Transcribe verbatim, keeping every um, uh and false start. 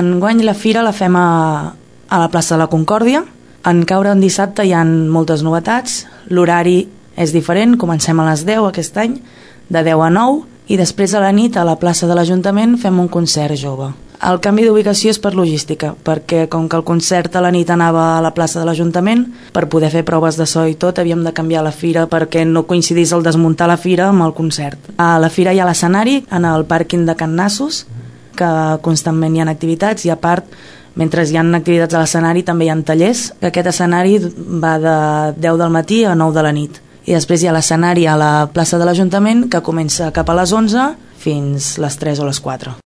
Enguany la fira la fem a, a la plaça de la Concòrdia. En caure en dissabte hi ha moltes novetats. L'horari és diferent, comencem a les deu aquest any, de deu a nou, i després a la nit a la plaça de l'Ajuntament fem un concert jove. El canvi d'ubicació és per logística, perquè com que el concert a la nit anava a la plaça de l'Ajuntament, per poder fer proves de so i tot havíem de canviar la fira perquè no coincidís el desmuntar la fira amb el concert. A la fira hi ha l'escenari en el pàrquing de Can Nassos, que constantment hi ha activitats, i a part, mentre hi ha activitats a l'escenari també hi ha tallers, que aquest escenari va de deu del matí a nou de la nit. I després hi ha l'escenari a la plaça de l'Ajuntament, que comença cap a les onze fins les tres o les quatre.